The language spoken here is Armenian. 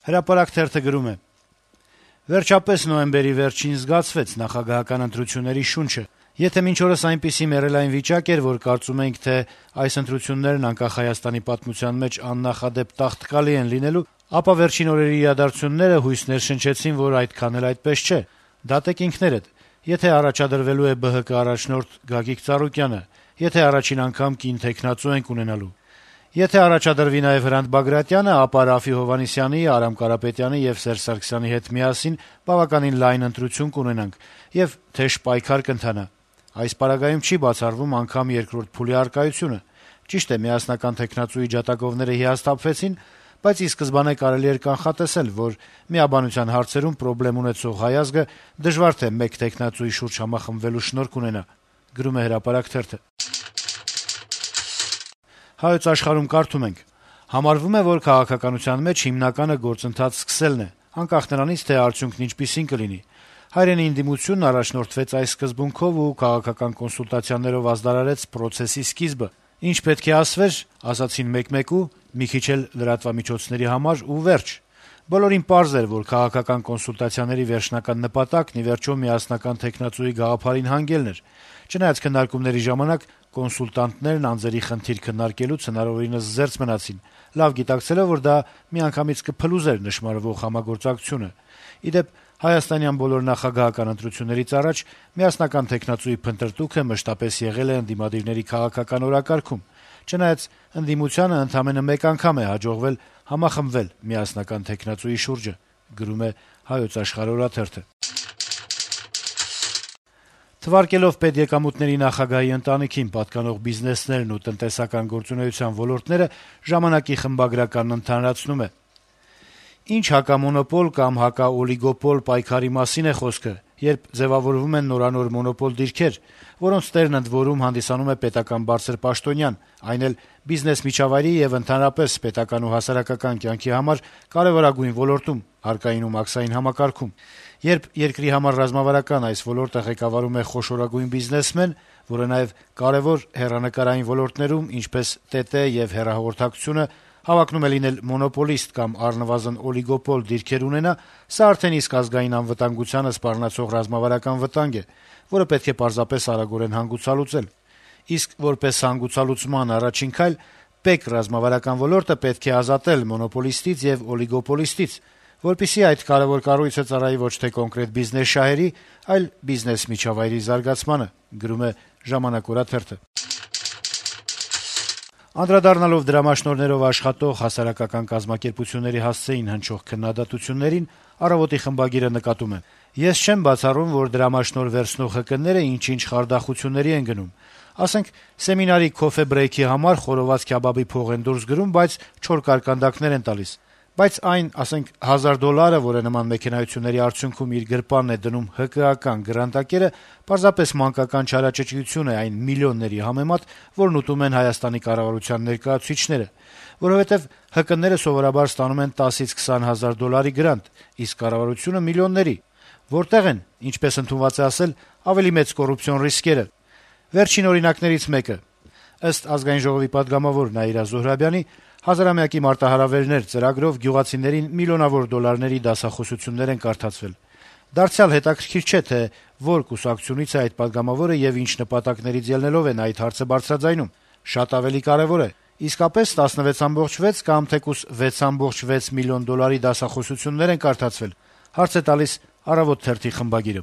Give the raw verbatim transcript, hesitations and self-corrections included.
Հրապարակ թերթը գրում է. - «Վերջապես նոյեմբերի վերջին զգացվեց նախագահական ընտրությունների շունչը: Եթե մինչ օրս այնպիսի մեռելային վիճակ էր, որ կարծում էինք, թե այս ընտրություններն անկախ Հայաստանի պատմության մեջ աննախադեպ տաղտկալի են լինելու, ապա վերջին օրերի իրադարձությունները հույս ներշնչեցին, որ այդքան էլ այդպես չէ: Դատեք ինքներդ: Եթե առաջադրվելու է ԲՀԿ առաջնորդ Գագիկ Ծառուկյանը, եթե առաջին անգամ կին թեկնածու ենք ունենալու: Եթե առաջադրվի նաեւ Հրանտ Բագրատյանը, ապա Րաֆֆի Հովհաննիսյանի, Արամ Կարապետյանի եւ Սերժ Սարգսյանի հետ միասին բավականին լայն ընտրություն կունենանք, եւ թեժ պայքար կընթանա: Այս պարագայում չի բացառվում անգամ երկրորդ փուլի առկայությունը: Ճիշտ է, միասնական թեկնածուի ջատագովները հիասթափվեցին, բայց ի սկզբանե կարելի էր կանխատեսել, որ միաբանության հարցերում պրոբլեմ ունեցող հայ ազգը դժվար թե մեկ թեկնածուի շուրջ համախմբվելու շնորհք ունենա»: «Հայոց Աշխարհ»-ում կարդում ենք. - «Համարվում է, որ քաղաքականության մեջ հիմնականը գործընթաց սկսելն է, անկախ նրանից, թե արդյունքն ինչպիսին կլինի: Հայրենի ընդդիմությունն առաջնորդվեց այս սկզբունքով ու քաղաքական կոնսուլտացիաներով ազդարարեց պրոցեսի սկիզբը: Ինչ պետք է ասվեր, ասացին մեկ-մեկու, մի քիչ էլ լրատվամիջոցների համար ու վերջ: Բոլորին պարզ էր, որ քաղաքական կոնսուլտացիաների վերջնական նպատակն ի վերջո միասնական թեկնածուի գաղափարին հանգելն էր: Չնայած քննարկումների ժամանակ կոնսուլտանտներն անձերի խնդիր քննարկելուց հնարավորինս զերծ մնացին, լավ գիտակցելով, որ դա միանգամից կփլուզեր նշմարվող համագործակցությունը: Ի դեպ, հայաստանյան բոլոր նախագահական ընտրություններից առաջ միասնական թեկնածուի փնտրտուքը մշտապես եղել է ընդդիմադիրների քաղաքական օրակարգում, չնայած ընդդիմությանը ընդամենը մեկ անգամ է հաջողվել համախմբվել միասնական թեկնածուի շուրջը»: Թվարկելով պետեկամուտների նախագահի ընտանիքին պատկանող բիզնեսներն ու տնտեսական գործունեության ոլորտները, «Ժամանակ»-ի խմբագրականն ընդհանրացնում է. - «Ինչ հակամոնոպոլ կամ հակաօլիգոպոլ պայքարի մասին է խոսքը, երբ ձեւավորվում են նորանոր մոնոպոլ դիրքեր, որոնց տերն ընդ որում հանդիսանում է պետական բարձր պաշտոնյան, այն էլ բիզնես միջավայրի եւ ընդհանրապես պետական ու հասարակական կյանքի համար կարեւորագույն ոլորտում՝ հարկային ու մաքսային համակարգում: Երբ երկրի համար ռազմավարական այս ոլորտը ղեկավարում է խոշորագույն բիզնեսմեն, որը նաեւ կարեւոր հեռանկարային ոլորտներում, ինչպես ՏՏ եւ հեռահաղորդակցությունը, հավակնում է լինել մոնոպոլիստ կամ առնվազն օլիգոպոլ դիրքեր ունենա, սա արդեն իսկ ազգային անվտանգությանը սպառնացող ռազմավարական վտանգ է, որը պետք է պարզապես արագորեն հանգուցալուծել: Իսկ որպես հանգուցալուծման առաջին քայլ ՊԵԿ ռազմավարական ոլորտը պետք է ազատել մոնոպոլիստից եւ օլիգոպոլիստից, որպեսզի այդ կարեւոր կառույցը ծառայի ոչ թե կոնկրետ բիզնես շահերի, այլ բիզնես միջավայրի զարգացմանը»: Անդրադառնալով դրամաշնորհներով աշխատող հասարակական կազմակերպությունների հասցեին հնչող քննադատություններին, «Առավոտ»-ի խմբագիրը նկատում է. - «Ես չեմ բացառում, որ դրամաշնորհ վերցնող ՀԿ-ները ինչ-ինչ խարդախությունների են գնում: Ասենք, սեմինարի քոֆե-բրեյքի համար խորոված քյաբաբի փող են դուրս գրում, բայց չոր կարկանդակներ են տալիս: Բայց այն, ասենք, հազար դոլարը, որը նման մեքենայությունների արդյունքում իր գրպանն է դնում ՀԿ-ական գրանտակերը, պարզապես մանկական չարաճճիություն է այն միլիոնների համեմատ, որն ուտում են Հայաստանի կառավարության ներկայացուցիչները: Որովհետեւ ՀԿ-ները սովորաբար ստանում են տասից քսան հազար դոլարի գրանտ, իսկ կառավարությունը՝ միլիոնների: Որտե՞ղ են, ինչպես ընդունված է ասել, ավելի մեծ կոռուպցիոն ռիսկերը: Վերջին օրինակներից մեկը. ըստ Ազգային ժողովի պատգամավոր Նաիրա Զոհրաբյանի, «Հազարամյակի մարտահրավերներ» ծրագրով գյուղացիներին միլիոնավոր դոլարների դասախոսություններ են կարդացվել: Դարձյալ հետաքրքիր չէ, թե որ կուսակցությունից է այդ պատգամավորը եւ ինչ նպատակներից ելնելով է նա այդ հարցը բարձրաձայնում: Շատ ավելի կարեւոր է՝ իսկապե՞ս տասնվեց կόμμα վեց կամ թեկուզ վեց կόμμα վեց միլիոն դոլարի դասախոսություններ են կարդացվել: Հարց է տալիս «Առավոտ» թերթի խմբագիրը: